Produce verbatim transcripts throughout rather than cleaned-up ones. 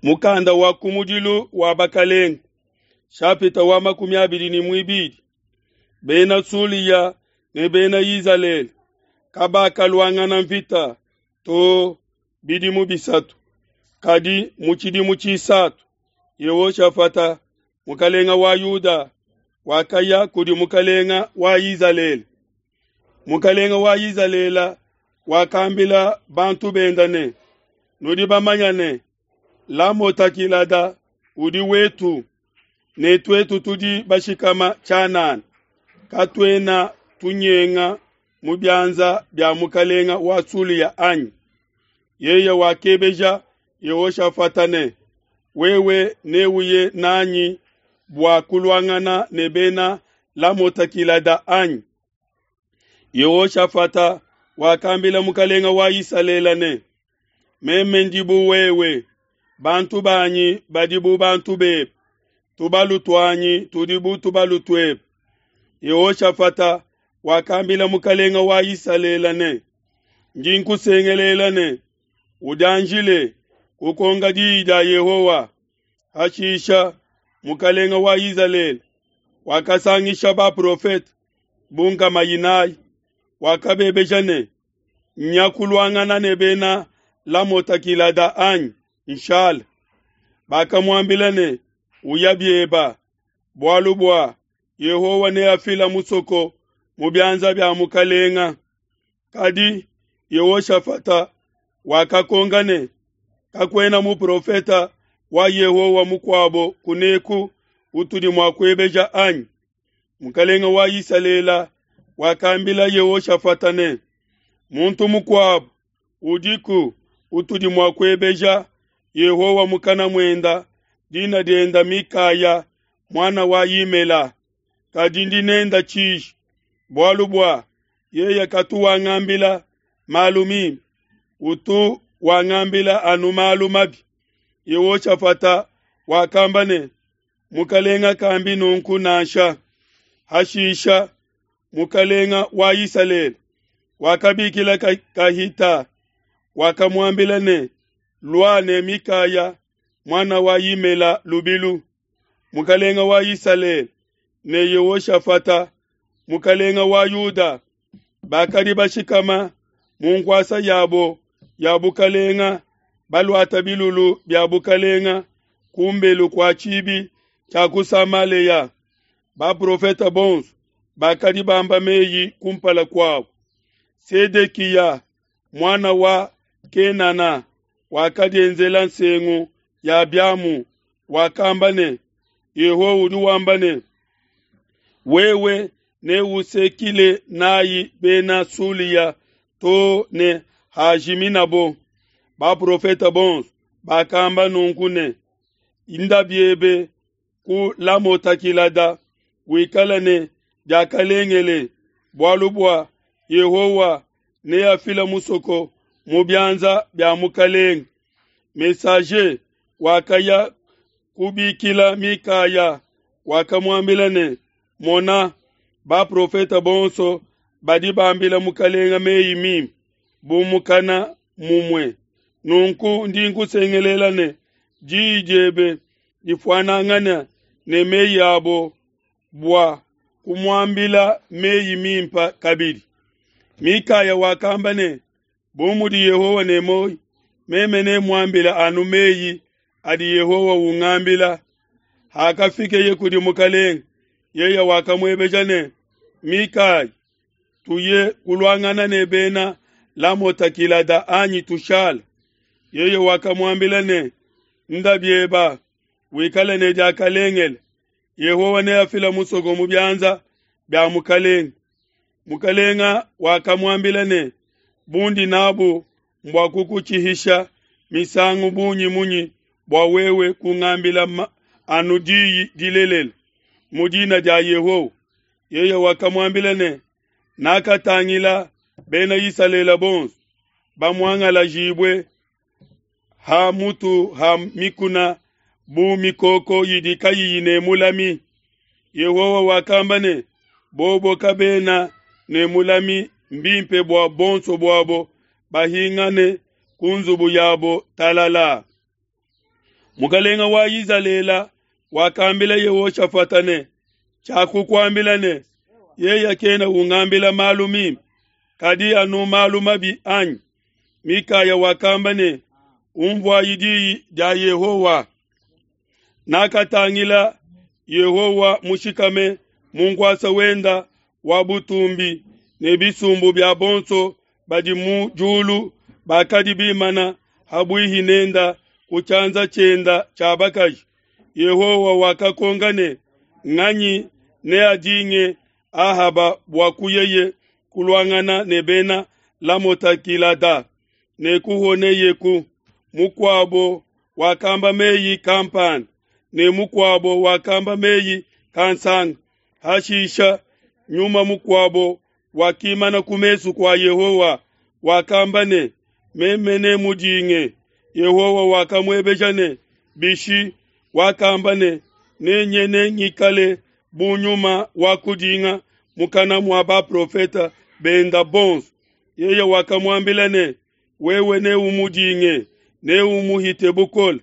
Mukanda wa kumudilu wa bakalenga, shapita wa makumi abidi ne muibidi. Bena Sulia ne bena Izalele kabakaluangana mvita to bidimu bisatu. Kadi mu tshidimu tshisatu, Yehoshafata mukalenga wa Yuda wakaya kudi mukalenga wa Izalele. Mukalenga wa Izalele wakambila bantu benda ne, nudi bamanya ne, Lamota-Gilada udi wetu, ne tuetu tudi bashikama tshianana, katuena tunyenga mu bianza bia mukalenga wa Sulia anyi? Yeye wakebeja Yehoshafata ne, wewe neuye nanyi bua kuluangana ne bena Lamota-Gilada anyi? Yehoshafata wakambila mukalenga wa Isalele ne, meme ndi bu wewe, bantu banyi badi bu bantu bebe, tubalu tuanyi tudi bu tubalu tuebe. Yehoshafata wakambila mukalenga wa Isalele ne, ndi nkusengelela ne, udianjile kukonga diyi dia Yehowa. Hashisha mukalenga wa Isalele wakasangisha baprofete bu nkama inayi, wakabebeja ne, nya kuluangana ne bena Lamota-Gilada anyi nshala? Bakamuambila ne, uya bieba, bualu bua Yehowa neafila musoko mu bianza bia mukalenga. Kadi Yehoshafata wakakonga ne, kakuena muprofeta wa Yehowa mukuabo kuneku utudi mua kuebeja anyi? Mukalenga wa Isalele wakambila Yehoshafata ne, muntu mukuabo udiku utudi mua kuebeja Yehowa mukana muenda, dina dienda Mikaya mwana wa Yimela, kadi ndi nenda tshiji, bualu bua yeye katu wangambila malu mimpe, utu wangambila anu malu mabi. Yehoshafata wakamba ne, mukalenga kambi nunku nansha. Hashisha mukalenga wa Isalele wakabikila kahita, wakamuambila ne, lua ne Mikaya mwana wa Yimela lubilu. Mukalenga wa Isalele ne Yehoshafata mukalenga wa Yuda bakadi bashikama mu nkuasa yabo ya bukalenga, baluata bilulu bia bukalenga kumbelu kua tshibi tshia ku Samaleya. Baprofeta bonso bakadi bamba meyi kumpala kuabo. Sedekiya mwana wa Kenana wakadienzela nsengu ya biamu, wakamba ne, Yehowa udi wamba ne, wewe neusekile nayi bena Sulia to ne hajiminabo. Baprofeta bonso bakamba nunku ne, inda biebe ku Lamota-Gilada, wikala ne diakalengele, bualu bua Yehowa neafila musoko mu bianza bia mukalenga. Messager wakaya kubikila Mikaya, wakamuambila ne, mona, baprofeta bonso badi bambila mukalenga meyi mimpe bu mukana mumue. Nunku ndi nkusengelela ne, diyi diebe difuanangane ne meyi abo bua kumuambila meyi mimpe kabidi. Mikaya wakamba ne, bu mudi Yehowa ne muoyo, meme nemuambile anu meyi adi Yehowa ungambila. Hakafikeye kudi mukalenga, yeye wakamuebeja ne, Mikaya, tuye kuluangana ne bena Lamota-Gilada anyi tushala? Yeye wakamuambila ne, nda bieba, wikale ne diakalengele, Yehowa neafila musoko mu bianza bia mukalenga. Mukalenga wakamuambila ne, bundi nabu mbua kukutshihisha misangu bungi munyi bua wewe kungambila anu diyi dilelela mu dina dia Yehowa? Yeye wakamuambila ne, nakatangila bena Isalele bonso bamuangalajibue ha mutu ha mikuna bu mikoko idi kayiyi ne mulami. Yehowa wakamba ne, bobo kabena ne mulami, mbimpe bua bonso buabo bahingane ku nzubu yabo talala. Mukalenga wa Izalele wakambila Yehoshafata ne, tshiakukuambila ne, yeye kena ungambila malu mimpe, kadi anu malu mabi anyi? Mikaya wakamba ne, umvuayi diyi dia Yehowa. Nakatangila Yehowa mushikame mu nkuasa wenda wa butumbi, ne bisumbu bia bonso badi mu diulu bakadi bimana habuihi nenda ku tshianza tshienda tshia bakaji. Yehowa wakakonka ne, nganyi neadinge Ahaba bua kuyeye kuluangana ne bena Lamota Gilada ne kuhoneyeku? Mukuabo wakamba meyi kampanda ne mukuabo wakamba meyi kansanga. Hashisha nyuma mukuabo wakimana ku mesu kua Yehowa, wakamba ne, meme nemudinge. Yehowa wakamuebeja ne, bishi? Wakamba ne, nenye nengikale bu nyuma wa kudinga mukana mua baprofeta benda bonso. Yeye wakamuambila ne, wewe neumudinge, neumuhite bukole,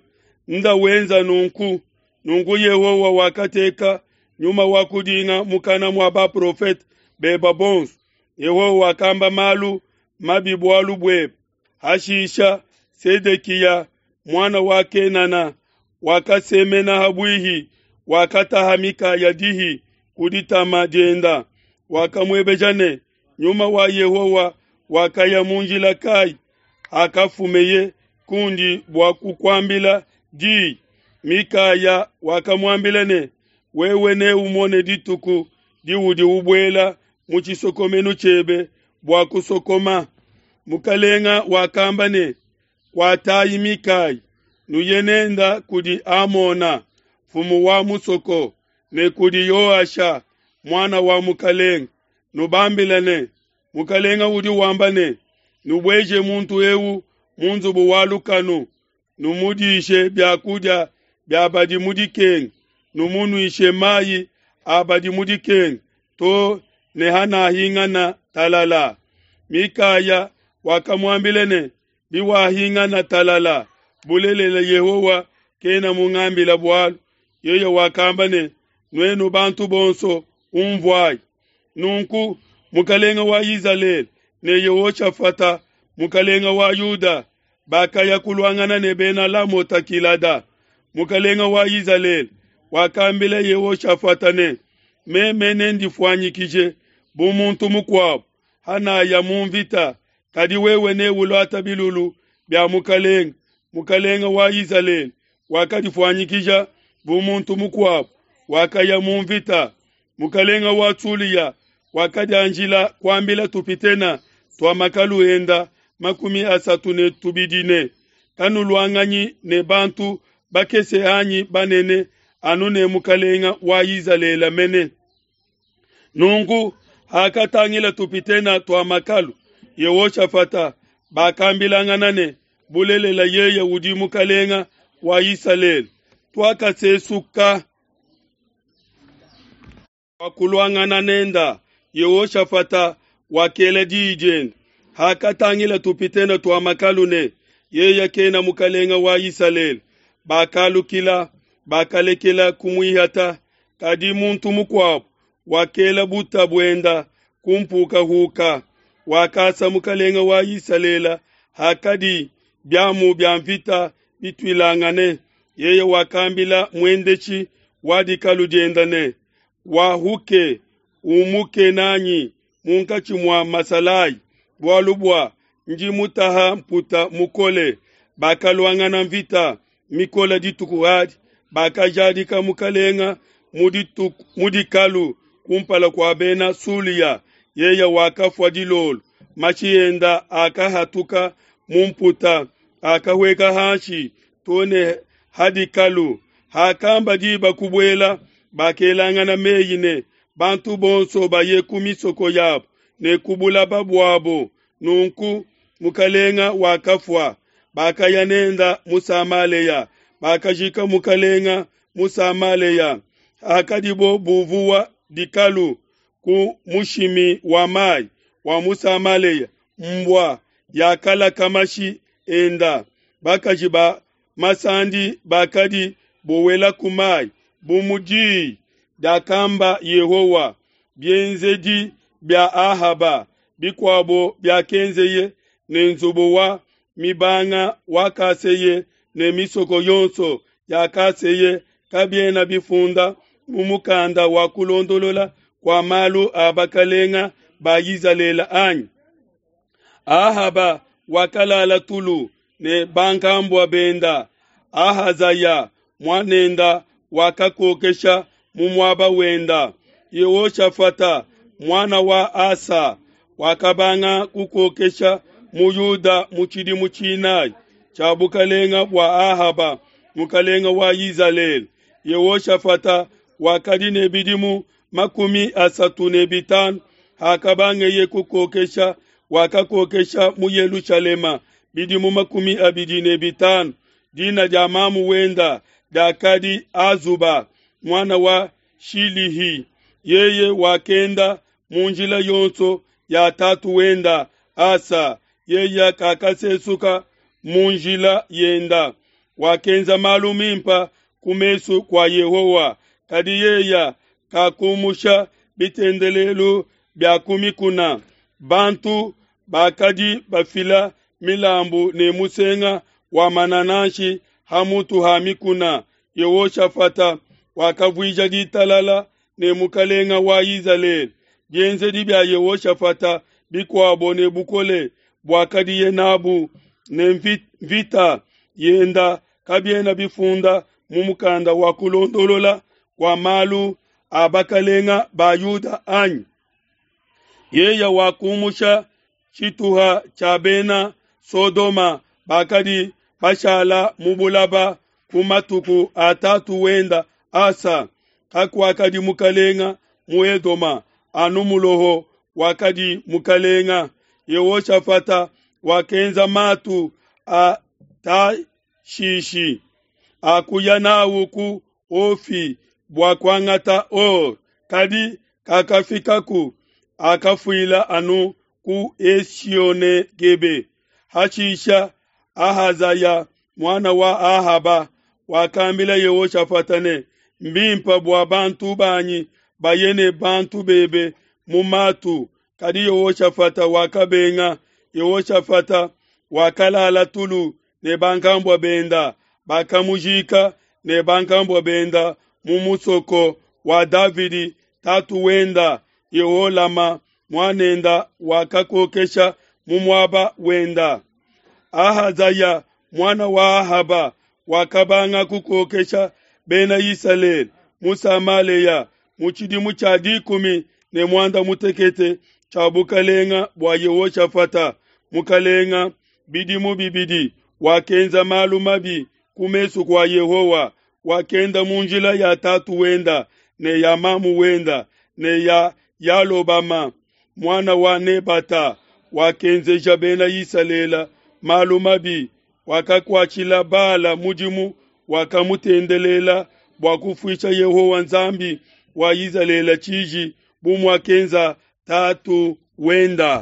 nda wenza nunku. Nunku Yehowa wakateka nyuma wa kudinga mukana mua baprofeta beba bonso. Yehowa wakamba malu mabi bualu buebe. Hashisha Sedekiya muana wa Kenana wakasemena habuihi, wakataha Mikaya dihi ku ditama dienda. Wakamuebeja ne, nyuma wa Yehowa wakaya mu njila kai akafumeye kundi bua kukuambila diyi? Mikaya wakamuambila ne, wewe neumone dituku diudi ubuela mu tshisokomenu tshiebe bua kusokoma. Mukalenga wakamba ne, kuatayi Mikaya, nuye nenda kudi Amona, mfumu wa musoko, ne kudi Yoasha muana wa mukalenga, nubambile ne, mukalenga udi wamba ne, nubueje muntu eu mu nzubu wa lukanu, numudishe biakudia bia badi mu dikenga, numunuishe mayi a badi mu dikenga, to ne hanahingana talala. Mikaya wakamuambila ne, biwahingana talala, bulelela Yehowa kena mungambila bualu. Yeye wakamba ne, nuenu bantu bonso umvuayi. Nunku mukalenga wa Izalele ne Yehoshafata mukalenga wa Yuda bakaya kuluangana ne bena Lamota Gilada. Mukalenga wa Izalele wakambila Yehoshafata ne, meme nendifuanyikije bu muntu mukuabo hanaya mu mvita, kadi wewe neuluata bilulu bia mukalenga. Mukalenga wa Izalele wakadifuanyikija bu muntu mukuabo, wakaya mu mvita. Mukalenga wa Sulia wakadianjila kuambila tupitena tua makalu enda makumi asatu ne tubidi ne, kanuluanganyi ne bantu bakese anyi banene, anu ne mukalenga wa Izalele mene. Nunku hakatangila tupitena tua makalu Yehoshafata, bakambilangana ne, bulelela yeye udi mukalenga wa Isalele. Tuakasesuka kuluangana nenda. Yehoshafata wakela diyi diende. Hakatangila tupitena tua makalu ne, yeye kena mukalenga wa Isalele, bakalukila, bakalekela kumuihata. Kadi muntu mukuabo wakela buta buenda kumpukahuka, wakasa mukalenga wa Isalele hakadi biamu bia mvita bituilangane. Yeye wakambila muendeshi wa dikalu dienda ne, wahuke umuke nanyi munkatshi mua masalayi, bualu bua ndi mutaha mputa mukole. Bakaluangana mvita mikole dituku adi, bakajadika mukalenga mu dikalu kumpala kua bena Sulia. Yeye wakafua dilolo, mashi enda akahatuka mu mputa, akahweka hanshi to ne hadikalu. Hakamba diba kubuela, bakelangana meyi ne, bantu bonso baye ku misoko yabo ne ku bulaba buabo. Nunku mukalenga wakafua, bakaya nenda mu Samaleya, bakajika mukalenga mu Samaleya. Hakadibo buvuwa dikalu ku mushimi wa mai wa mu Samaleya, mbua yakalaka mashi enda. Bakaji ba masandi bakadi bowelaku mai, bu mu diyi diakamba Yehowa. Bienzedi bia Ahaba bikuabo biakenzeye ne nzubu wa mibanga wakaseye ne misoko yonso yakaseye kabiena bifunda mu mukanda wa kulondolola kua malu a bakelenge ba Izalele, anyi? Ahaba wakalala tulu ne bankambua benda. Ahazaya muanenda wakakokesha mu muaba wenda. Yehoshafata muana wa Asa wakabanga kukokesha mu Yuda mu tshidimu tshinayi tshia bukelenge bua Ahaba mukelenge wa Izalele. Yehoshafata wakadi ne bidimu makumi asatu ne bitanu hakabangeye kukokesha, wakakokesha mu Yelushalema bidimu makumi abidi ne bitanu. Dina dia mamu wenda diakadi Azuba muana wa Shilihi. Yeye wakenda mu njila yonso ya tatu wenda Asa, yeye kakasesuka mu njila yenda. Wakenza malu mimpe ku mesu kua Yehowa, kadi yeye kakumusha bitendelelu bia ku mikuna. Bantu bakadi bafila milambu ne musenga wa manananshi ha mutu ha mikuna. Yehoshafata wakavuija ditalala ne mukelenge wa Izalele. Bienzedi bia Yehoshafata bikuabo ne bukole buakadiye nabu ne mvita yenda kabiena bifunda mu mukanda wa kulondolola kua malu a bakelenge ba Yuda, anyi? Yeye wakumusha tshituha tshia bena Sodoma bakadi bashala mu bulaba ku matuku a tatu wenda Asa. Kakuakadi mukelenge mu Edoma, anu muloho wakadi mukelenge. Yehoshafata wakenza matu a Tashishi akuya n'au ku Ofi bua kuangata or, kadi kakafikaku, akafuila anu ku Esione-Gebe. Hashisha Ahazaya muana wa Ahaba wakambila Yehoshafata ne, Mbimpe bua bantu banyi baye ne bantu bebe mu matu. Kadi Yehoshafata wakabenga. Yehoshafata wakalala tulu ne bankambua benda, bakamujika ne bankambua benda mu musoko wa Davidi tatu wenda. Yeholama muanenda wakakokesha mu muaba wenda. Ahazaya muana wa Ahaba wakabanga kukokesha bena Isalele mu Samalea mu tshidimu tshia dikumi ne muanda mutekete tshia bukelenge bua Yehoshafata mukelenge bidimu bibidi. Wakenza malu mabi ku mesu kua Yehowa, wakenda mu njila ya tatu wenda ne ya mamu wenda ne ya Yalobama muana wa Nebata. Wakenzeja bena Isalele malu mabi, wakakuatshila Bala mudimu, wakamutendelela bua kufuisha Yehowa Nzambi wa Izalele tshiji, bu muakenza tatu wenda.